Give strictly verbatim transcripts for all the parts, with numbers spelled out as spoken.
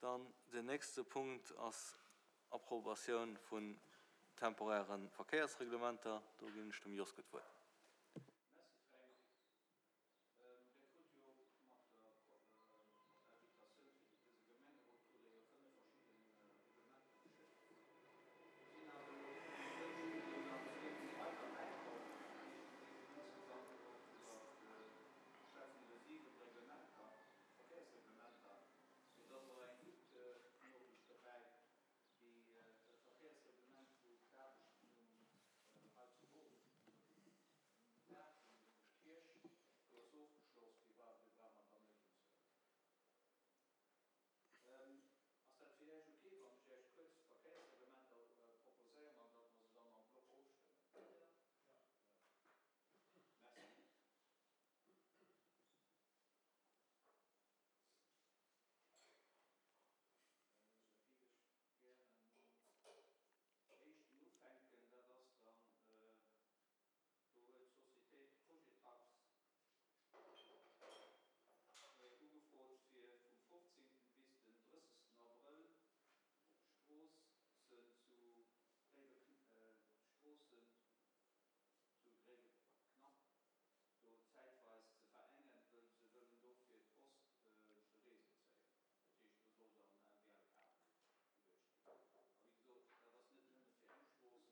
Dann den nächste Punkt ass Approbatioun vun temporäre Verkéiersreglementer. Do ginn ech dem Joske d'Wuert. Merci Fränk. Dir krut jo mat der Invitatioun fir dëse Gemengerot krut Der jo fënnef verschidde Reglementer geschéckt. Do sinn awer elo um Dënschden nach zwee weider bäikomm. Dat heescht, mir géifen insgesamt elo schwätzen iwwer siwen Reglementer, Verkéiersreglementer. Mee et ass och eng gutt Noriicht dobäi, déi dat Verkéiersreglement, wou d'Aarbechten um hei zu Bruch um Daach vun der Kierch, do ass ofgeschloss, déi war, déi brauche mer dann net unzehuelen. Ass dat fir Iech ok, wann ech Iech kuerz d'Verkéiersreglementer proposéieren an datt mer se dann en bloc ofstëmmen? Merci. Da géif ech gäre mam éischten ufänken. Dat ass dann, do huet d'Sociétéit Cogetax ugefrot, fir vum fofzéngten bis den drëssegsten Abrëll d'Stroossen zu d'Stroossen zu Gréiweknapp do zäitweis ze verengen, wëll se wëllen do fir d'Post de Réseau zéien. Dat heescht, do soll dann en M B L-Kabel geluecht ginn. A wéi gesot, dat ass net nëmme fir eng Strooss,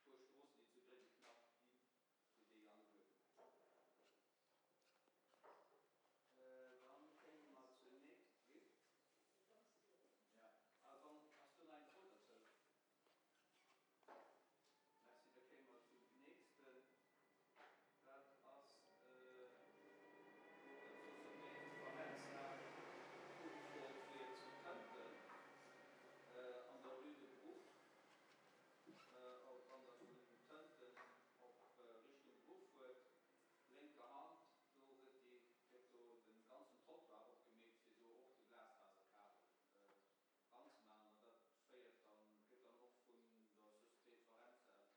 mee dat si fir déi puer Stroossen, déi zu Gréiweknapp ginn, fir déi alleguer gemengt. Dann kéime mer zur nächst. Wéi? Ja. A wann, ass do nach eng Fro derzou? Merci. Da kéime mer zum nächsten. Dat ass, do huet d'Sociétéit Farenza ugefrot fir zu Tënten an der Rue de Bruch, wann Der vun Tënten op Richtung Bruch fuert, lénker Hand, do gëtt déi, gëtt do de ganzen Trottoir opgemeet, fir do och de Glasfaserkabel ranzemaachen. An dat féiert dann, gëtt dann och vun der Sociétéit Farenza op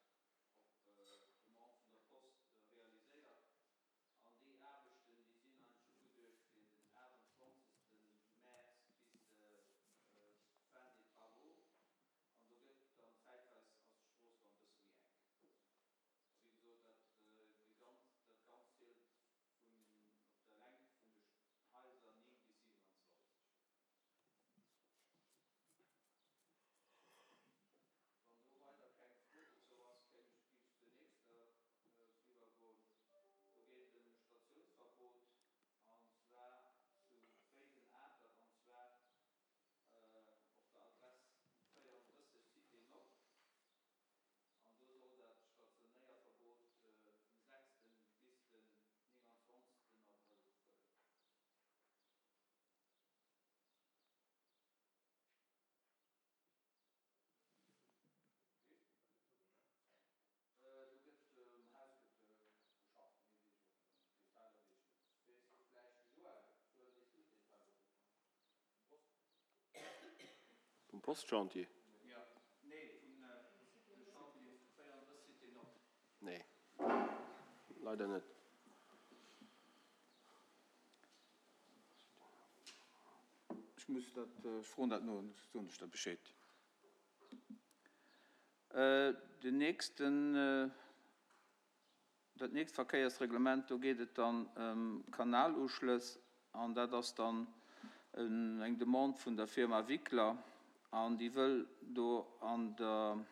Demande vun der Post realiséiert. An déi Aarbechten, déi sinn eigentlech ugeduecht fir den aachtundzwanzegste Mäerz bis fin des travaux. An do gëtt dann zäitweis, ass d'Strooss dann e bësse méi enk. A wéi gesot, dat, déi ganz, dat Ganzt zielt vun, op der Längt vun de Haiser néng bis siwenanzwanzeg. Wann do weider keng Fro dozou ass, kéim ech, géif ech zur nächster iwwergoen. Do geet et ëm e Statiounsverbot, an zwar zu Réiden-Atert, an zwar op der Adress véierunddrësseg Cité Nord. An do soll dat Stationéierverbot vum sechsten bis den nénganzwanzegsten Abrëll gëllen. Do gëtt um Haus gëtt geschafft, méi weess ech och net. Detailer weess ech net. Weess vläicht de Joël? Joël, weess du d'Detailer dovun? Vum Postchantier? Jo, nee, vun de Chantier véierunddrësseg Cité Nord. Nee, leider net. Ech muss dat, ech froen dat no, soen ech der Bescheed. Den nächsten, dat nächst Verkéiersreglement, do geet et dann ëm Kanaluschlëss an dat ass dann eng Demande vun der Firma Wickler an déi wëll do an der,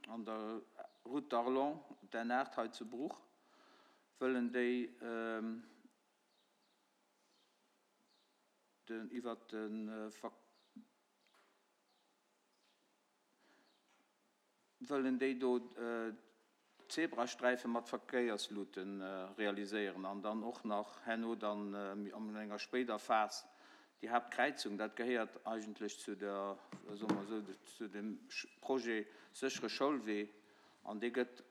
an der Route d'Arlon, d'N aacht hei zu Bruch, wëllen déi den, iwwert de. Wëllen déi do Zebrasträife mat Verkéierslute realiséieren an dann och nach herno dann an enger spéider Phas déi Haaptkräizung, dat gehéiert eigentlech zu der, soe mer esou, zu dem Projet séchere Schoulwee an dee gëtt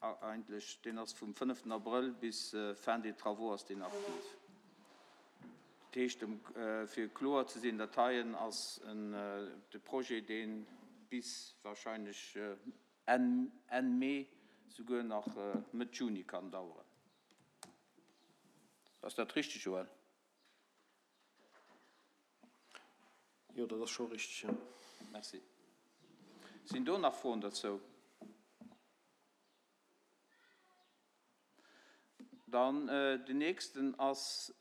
Eigentlech, deen ass vum fënneften Abrëll bis fin des travaux ass deen aktiv. Dat heescht, fir kloer ze sinn, dat heien ass de Projet, dee bis wahrscheinlech Enn Enn Mee, souguer nach Mëtt Juni kann daueren. Ass dat richtig, Joël? Jo, dat ass scho richteg, jo. Merci. Sinn do nach Froen dozou? Dann den nächsten ass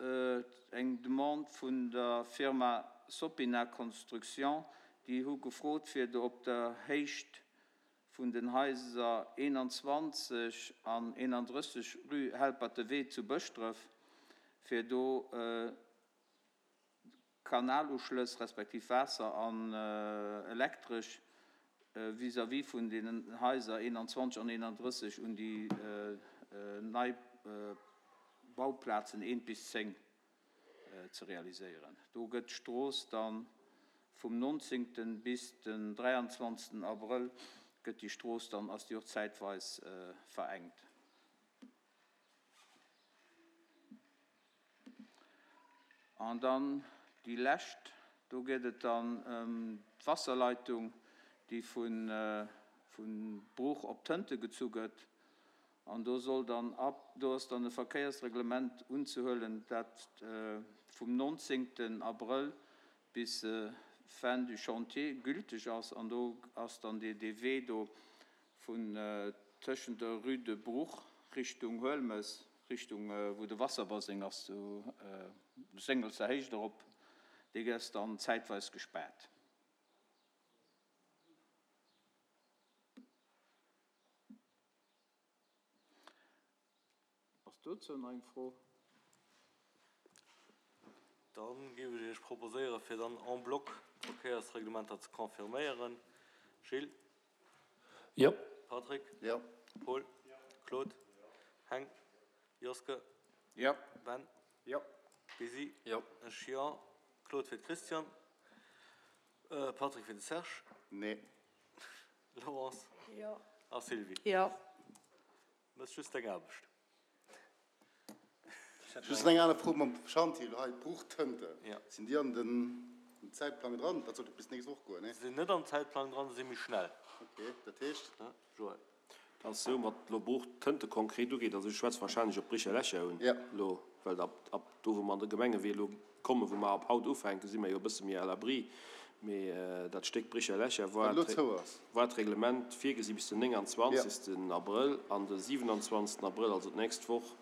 eng Demande vun der Firma Sopina Construction. Déi hu gefrot, fir do op der Héicht vun den Haiser eenanzwanzeg an eenandrësseg Rue Helperte Wee zu Bëschdref, fir do Kanaluschlëss respektiv Waasser an Elektresch vis-à-vis vun deenen Haiser eenanzwanzeg an eenandrësseg un déi nei Bauplazen eent bis zéng ze realiséieren. Do gëtt d'Strooss da vum nonzéngten bis den dräianzwanzegsten Abrëll gëtt déi Strooss dann, ass déi och zäitweis verengt. An dann déi lescht, do geet et dann ëm d'Wasserleitung, déi vu Bruch op Tënte gezu gëtt. An do soll dann ab, do ass dann e Verkéiersreglement unzehuelen, dat vum nonzéngten Abrëll bis fin du chantier gülteg ass. An do ass dann dee Wee do vun tëschent der Rue de Bruch Richtung Huelmes, Richtung wou de Wasserbaseng ass, zu Séngelser Héicht erop, dee ass dann zäitweis gespaart. Ass dozou nach eng Fro? Da géif ech Iech proposéieren, fir dann en bloc d'Verkéiersreglementer ze confirméieren. Gilles? Jo. Patrick? Jo. Paul? Claude? Heng? Joske? Jo. Ben? Jo. Bisi? Jo. Ech jo. Claude fir d'Christiane. Patrick fir de Serge. Nee. Laurence? Jo. A Sylvie? Jo. Méchs just deng Aarbecht. Just eng aner Fro mam Chantier elo hei, Bruch-Tënte, Ja. sinn déi an den Zäitplang dran? Dat sollt jo bis d'nächst Woch goen, nee? Sinn net am Zäitplang dran, si méi schnell. Okay, dat heescht? Joël. Dat ass esou, wat elo Bruch-Tënte konkret ugeet, also ech schwätze wahrscheinlech op Bricher-Lächer un Ja. elo, well ab, ab do, wou mer an de Gemengewee elo kommen, wou mer ab haut ufänken, si mer jo e bësse méi à l'abri. Mee dat Stéck Bricher-Lächer war Wat elo zou ass. war d'Reglement virgesi bis den nénganzwanzegsten Abrëll an de siwenanzwanzegsten Abrëll, also d'nächst Woch,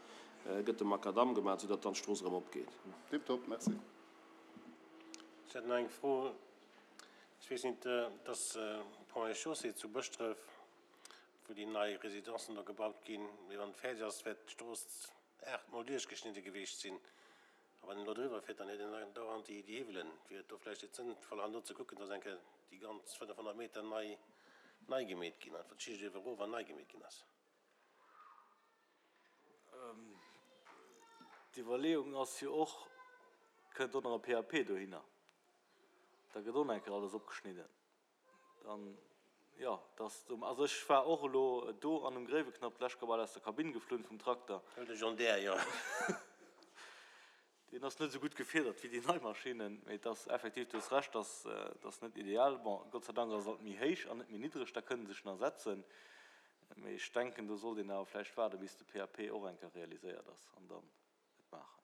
gëtt de Makadamm gemaach, soudatt dann d'Strooss erëm opgeet. Tiptop, merci. Ech hätt nach eng Fro. Ech weess net, dass Ponts et Chaussées zu Bëschdref, wou déi nei Residencen do gebaut ginn, mee wann et fäerdeg ass, wäert d'Strooss aachtmol duerchgeschnidde geweecht sinn. A wann een elo driwwer fiert, dann huet een andauernd déi Hiwwelen. Wier et do vläicht net sënnvoll, herno ze kucken, dass eng Kéier déi ganz fënnefhonnert Meter nei, nei gemeet ginn, einfach d'Schicht uewe erof an nei gemeet ginn ass? D'Iwwerleeung ass jo och, kënnt och nach e P A P dohinner, da gëtt och nach eng Kéier alles opgeschnidden. Dann, jo, dass do, also ech war och elo do an um Gréiweknapp d'lescht Kéier bal aus der Kabinn geflunn vum Trakter. Huel de John Deere, jo. Deen ass net esou gutt gefiedert wéi déi nei Maschinnen, mee et ass effektiv, du hues Recht, dass dat ass net ideal. Bon, Gott sei Dank ass et alt méi héich an net méi niddreg, da kënne sech nach setzen. Mee ech denken, do sollt een awer vläicht waarden, bis de P A P och eng Kéier realiséiert ass an dann et maachen.